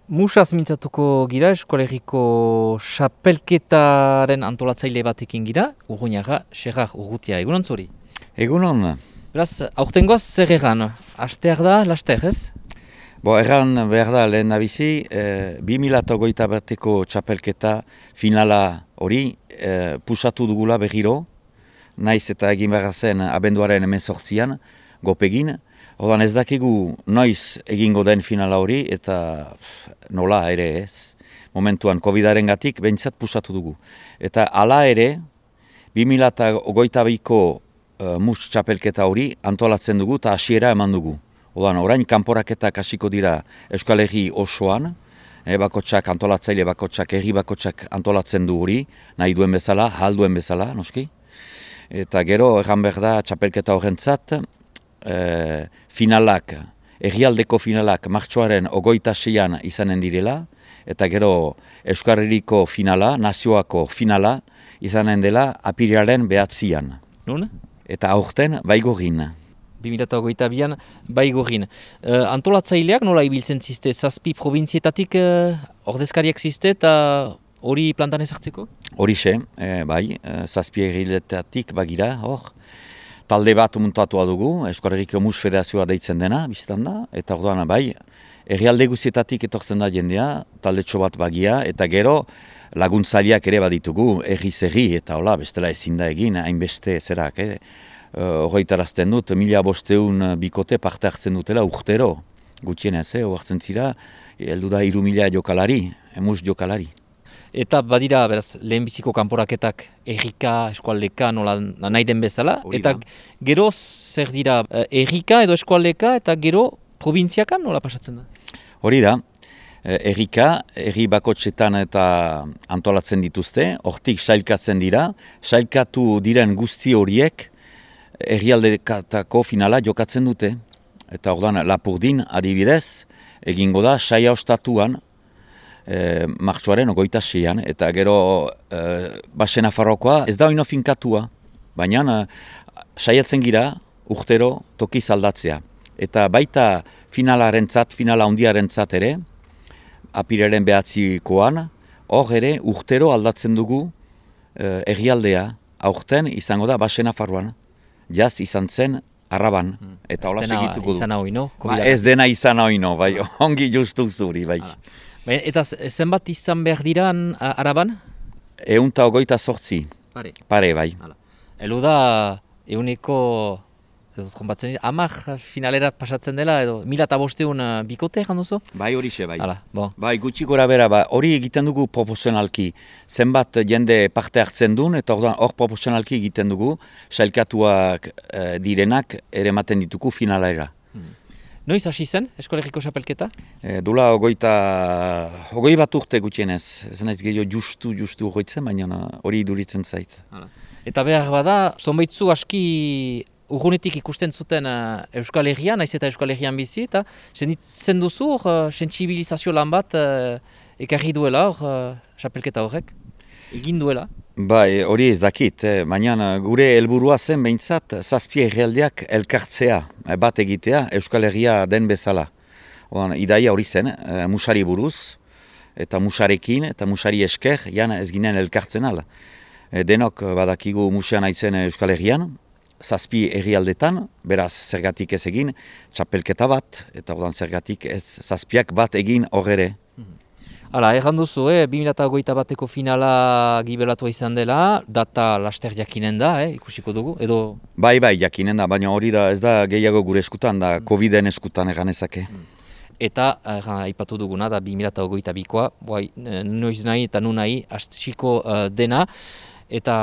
Musaz mintzatuko gira, eskolegiko xapelketaren antolatzaile batekin gira, Urruñaga, Xerrar Urrutia, egunon zuri? Egunon. Beraz, aurtengoaz zer egan? Asteak da, laster, ez? Erran behar da lehen nabizi, 2008 bateko txapelketa finala hori pusatu dugula berriro, naiz eta egin behar zen abenduaren 18an, gopegin. Odan ez dakigu noiz egingo den finala hori eta nola ere ez. Momentuan COVID-aren gatik behintzat pusatu dugu. Eta hala ere, 2022ko mus txapelketa hori antolatzen dugu eta hasiera eman dugu. Odan orain kanporaketak hasiko dira Euskal Herri osoan, bakotsak antolatzaile bakotsak, herri bakotsak antolatzen du hori, nahi duen bezala, ahal duen bezala, noski. Eta gero erran behar da txapelketa horrentzat, finalak, herrialdeko finalak martxoaren 26an izanen direla, eta gero Euskal Herriko finala, nazioako finala, izanen dela apirilaren 9an. Nun? Eta aurten Baigorrin. 2022an Baigorrin. Antolatzaileak nola ibiltzen ziste? 7 probintzietatik ordezkariak ziste eta hori plantan ezartzeko? Horixe, bai, 7 herrialdeetatik bagira, hor. Talde bat muntatua dugu, Euskal Herriko Mus Federazioa deitzen dena, biztan da, eta orduan bai, herrialde guztietatik etortzen da jendea, taldetxo bat bagia, eta gero laguntzaileak ere baditugu, herri, eta hola, bestela ezin da egin, hainbeste zerak, horretarazten dut, 1500 bikote parte hartzen dutela urtero, gutxienez, hartzen zira, heldu da 3000 jokalari, mus jokalari. Eta badira, beraz, lehenbiziko kanporaketak errika, eskualdeka, nola nahi den bezala. Eta gero zer dira errika edo eskualdeka eta gero probintziakan nola pasatzen da? Hori da, errika, herri bakotxetan eta antolatzen dituzte, hortik sailkatzen dira, sailkatu diren guzti horiek herrialdekatako finala jokatzen dute. Eta orduan Lapurdin adibidez, egingo da saia ostatuan, martxoaren 26an, eta gero Baxe Nafarroakoa ez da oino finkatua, baina saiatzen gira urtero tokiz aldatzea. Eta baita finala handiarentzat ere, apirilaren 9koan, hor ere urtero aldatzen dugu herrialdea, aurten izango da Baxe Nafarroan, jaz izan zen Araban, eta hola segituko du. Ez dena izan oino, bai, ongi justu zuri, bai. Eta zenbat izan behar diran Araban? 128. Pare, bai. Elu da, euneko, hamar finalera pasatzen dela, edo 1500 bikote egin duzu? Bai, horixe, bai. Bon. Bai, gutxi gora bera, hori egiten dugu proportzionalki. Zenbat jende parte hartzen duen, eta hor proportzionalki egiten dugu, sailkatuak direnak ere ematen ditugu finalera. Noiz hasi zen, eskolegiko xapelketa? Dula 20 bat urte gutxienez. Ez naiz gehiago justu horretzen, baina hori iduritzen zait. Eta behar bada, zonbaitzu aski urgunetik ikusten zuten Euskal Herrian, naiz eta Euskal Herrian bizi, eta senditzen duzu sentsibilizazio lan bat ekarri duela xapelketa horrek? Egin duela? Bai, hori ez dakit, baina gure helburua zen behintzat 7 herrialdeak elkartzea, bat egitea Euskal Herria den bezala. Idaia hori zen, musari buruz, eta musarekin, eta musari esker, ez ginen elkartzen ala. Denok badakigu musean aitzen Euskal Herrian, 7 herrialdetan, beraz zergatik ez egin, txapelketa bat, eta zergatik ez 7ak bat egin horre. Hala, erran duzu, 2008 bateko finala gibelatua izan dela, data laster jakinen da, ikusiko dugu, edo... Bai, jakinen da, baina hori da ez da gehiago gure eskutan, da COVID-en eskutan eganezake. Eta, aipatu duguna, da 2022koa, noiz nahi eta nu nahi, hasiko dena, eta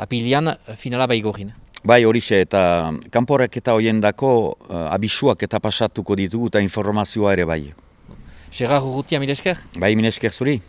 apirilean finala Baigorrin. Bai, horixe, eta kanporaketa horiendako abisuak eta pasatuko ditugu eta informazioa ere bai. Xerrar Urrutia, mile esker? Bai, mile esker zuri.